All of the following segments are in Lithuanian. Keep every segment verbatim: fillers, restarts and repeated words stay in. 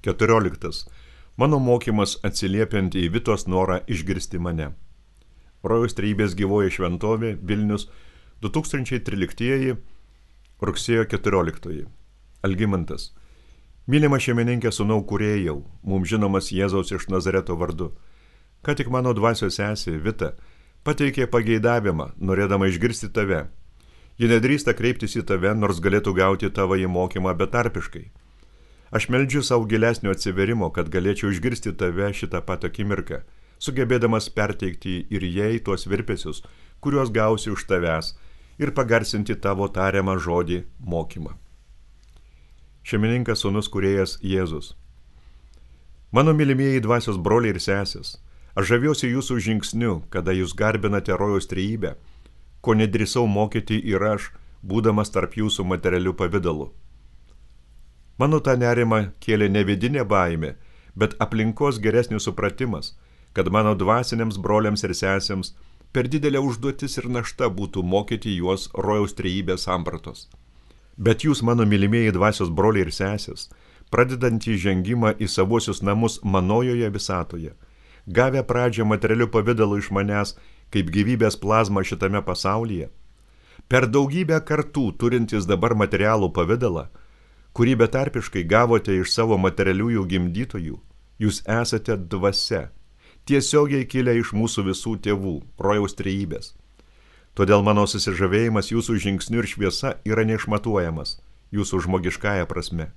keturioliktas. Mano mokymas atsiliepiant į Vitos norą išgirsti mane. Rojaus trejybės gyvoji šventovė, Vilnius, du tūkstančiai tryliktieji, rugsėjo keturioliktoji. Algimantas. Mylima šeimininkė sūnau kūrėjau, mums žinomas Jėzaus iš Nazareto vardu. Ką tik mano dvasios sesė, Vita, pateikė pageidavimą, norėdama išgirsti tave. Ji nedrįsta kreiptis į tave, nors galėtų gauti tavo į mokymą betarpiškai. Aš meldžiu savo gilesnio atsiverimo, kad galėčiau išgirsti tave šitą pat akimirką, sugebėdamas perteikti ir jai tuos virpesius, kuriuos gausi už tavęs, ir pagarsinti tavo tariamą žodį mokymą. Šeimininkas sūnus kūrėjas Jėzus. Mano mylimieji dvasios broliai ir sesės, aš žaviuosi jūsų žingsniu, kada jūs garbinate rojaus trejybę, ko nedrįsau mokyti ir aš, būdamas tarp jūsų materialių pavidalų. Mano tą nerimą kėlė ne vidinė baimė, bet aplinkos geresnis supratimas, kad mano dvasiniams broliams ir sesėms per didelė užduotis ir našta būtų mokyti juos rojaus trejybės sampratos. Bet jūs, mano mylimieji dvasios broliai ir sesės, pradedantį žengimą į savuosius namus manojoje visatoje, gavę pradžią materialių pavidalų iš manęs kaip gyvybės plazma šitame pasaulyje, per daugybę kartų turintis dabar materialų pavidalą, kurį betarpiškai gavote iš savo materialiųjų gimdytojų, jūs esate dvasia, tiesiogiai kilę iš mūsų visų tėvų, rojaus trejybės. Todėl mano susižavėjimas jūsų žingsniu ir šviesa yra neišmatuojamas, jūsų žmogiškąja prasme.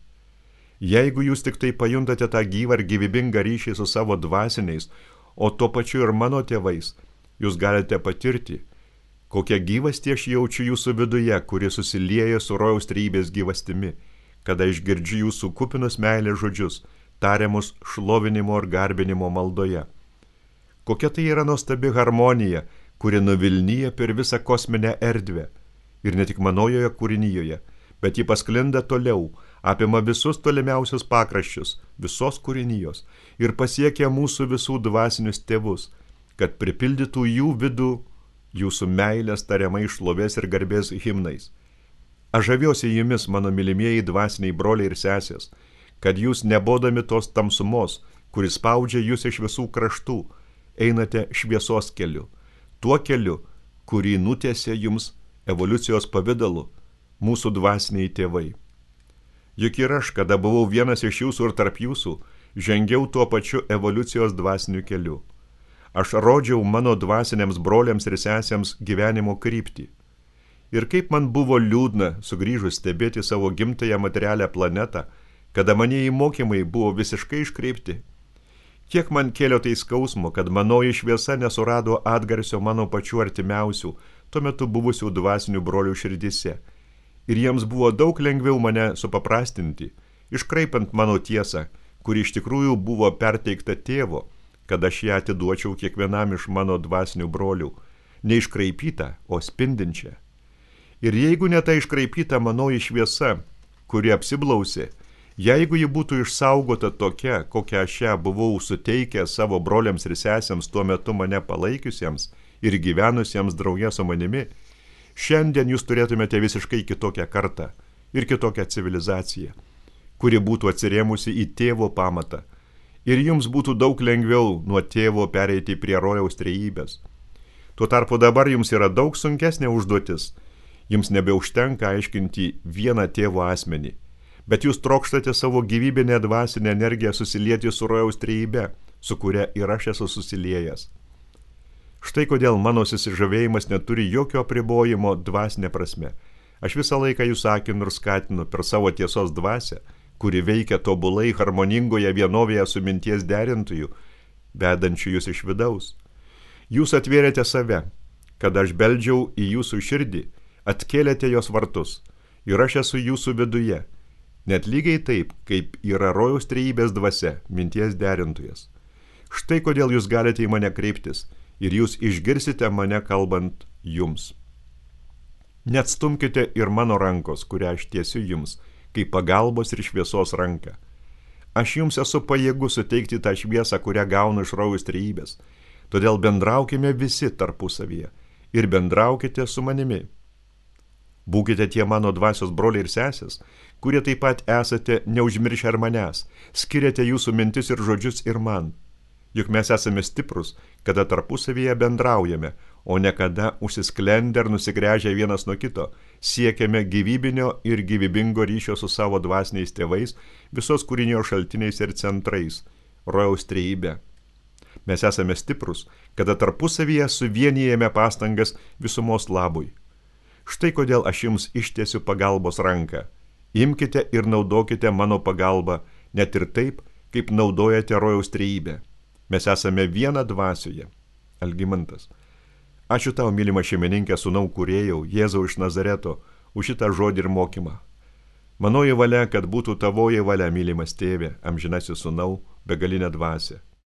Jeigu jūs tik tai pajuntate tą gyvą ir gyvybingą ryšį su savo dvasiniais, o tuo pačiu ir mano tėvais, jūs galite patirti, kokią gyvastį aš jaučiu jūsų viduje, kuri susilieja su rojaus trejybės gyvastimi, kada išgirdžiu jūsų kupinus meilės žodžius, tariamus šlovinimo ir garbinimo maldoje. Kokia tai yra nuostabi harmonija, kuri nuvilnyja per visą kosminę erdvę, ir ne tik manojoje kūrinyjoje, bet ji pasklinda toliau, apima visus tolimiausius pakraščius, visos kūrinijos, ir pasiekia mūsų visų dvasinius tėvus, kad pripildytų jų vidų jūsų meilės tariamai šlovės ir garbės himnais. Aš žaviuosi jumis, mano mylimieji dvasiniai broliai ir sesės, kad jūs nebodami tos tamsumos, kuris spaudžia jūs iš visų kraštų, einate šviesos keliu, tuo keliu, kurį nutiesė jums evoliucijos pavidalu mūsų dvasiniai tėvai. Juk ir aš, kada buvau vienas iš jūsų ir tarp jūsų, žengiau tuo pačiu evoliucijos dvasiniu keliu. Aš rodžiau mano dvasiniams broliams ir sesėms gyvenimo kryptį. Ir kaip man buvo liūdna sugrįžus stebėti savo gimtąją materialią planetą, kada manieji mokymai buvo visiškai iškreipti. Kiek man kėlė tai skausmo, kad manoji šviesa nesurado atgarsio mano pačių artimiausių, tuo metu buvusių dvasinių brolių širdyse. Ir jiems buvo daug lengviau mane supaprastinti, iškraipant mano tiesą, kuri iš tikrųjų buvo perteikta tėvo, kad aš ją atiduočiau kiekvienam iš mano dvasinių brolių, neiškraipytą, o spindinčią. Ir jeigu ne ta iškraipyta manoji šviesa, kuri apsiblausė, jeigu ji būtų išsaugota tokia, kokią aš ją buvau suteikę savo broliams ir sesėms tuo metu mane palaikiusiems ir gyvenusiems drauge su manimi, šiandien jūs turėtumėte visiškai kitokią kartą ir kitokią civilizaciją, kuri būtų atsirėmusi į tėvo pamatą, ir jums būtų daug lengviau nuo tėvo pereiti prie rojaus trejybės. Tuo tarpu dabar jums yra daug sunkesnė užduotis, jums nebeužtenka aiškinti vieną tėvo asmenį, bet jūs trokštate savo gyvybinę dvasinę energiją susilieti su rojaus trejybe, su kuria ir aš esu susiliejęs. Štai kodėl mano susižavėjimas neturi jokio apribojimo dvasinė prasme. Aš visą laiką jūs akinu ir skatinu per savo tiesos dvasią, kuri veikia tobulai harmoningoje vienovėje su minties derintojų, vedančių jūs iš vidaus. Jūs atvėrėte save, kad aš beldžiau į jūsų širdį, atkėlėte jos vartus, ir aš esu jūsų viduje, net lygiai taip, kaip yra rojaus trejybės dvasia, minties derintojas. Štai kodėl jūs galite į mane kreiptis, ir jūs išgirsite mane kalbant jums. Neatstumkite ir mano rankos, kurią aš tiesiu jums, kaip pagalbos ir šviesos ranką. Aš jums esu pajėgus suteikti tą šviesą, kurią gaunu iš rojaus trejybės, todėl bendraukime visi tarpusavyje ir bendraukite su manimi. Būkite tie mano dvasios broliai ir sesės, kurie taip pat esate neužmiršę ir manęs, skiriate jūsų mintis ir žodžius ir man. Juk mes esame stiprus, kada tarpusavyje bendraujame, o ne kada užsisklendę ir nusigręžę vienas nuo kito, siekiame gyvybinio ir gyvybingo ryšio su savo dvasiniais tėvais, visos kūrinijos šaltiniais ir centrais, rojaus trejybe. Mes esame stiprus, kada tarpusavyje suvienijame pastangas visumos labui. Štai kodėl aš jums ištiesiu pagalbos ranką. Imkite ir naudokite mano pagalbą, net ir taip, kaip naudojate rojaus trejybę. Mes esame viena dvasioje. Algimantas. Ačiū tau, mylima šeimininkė, sūnau kūrėjau, Jėzau iš Nazareto, už šitą žodį ir mokymą. Manoji valia, kad būtų tavoji valia, mylimas tėve, amžinasis sūnau, begalinė dvasia.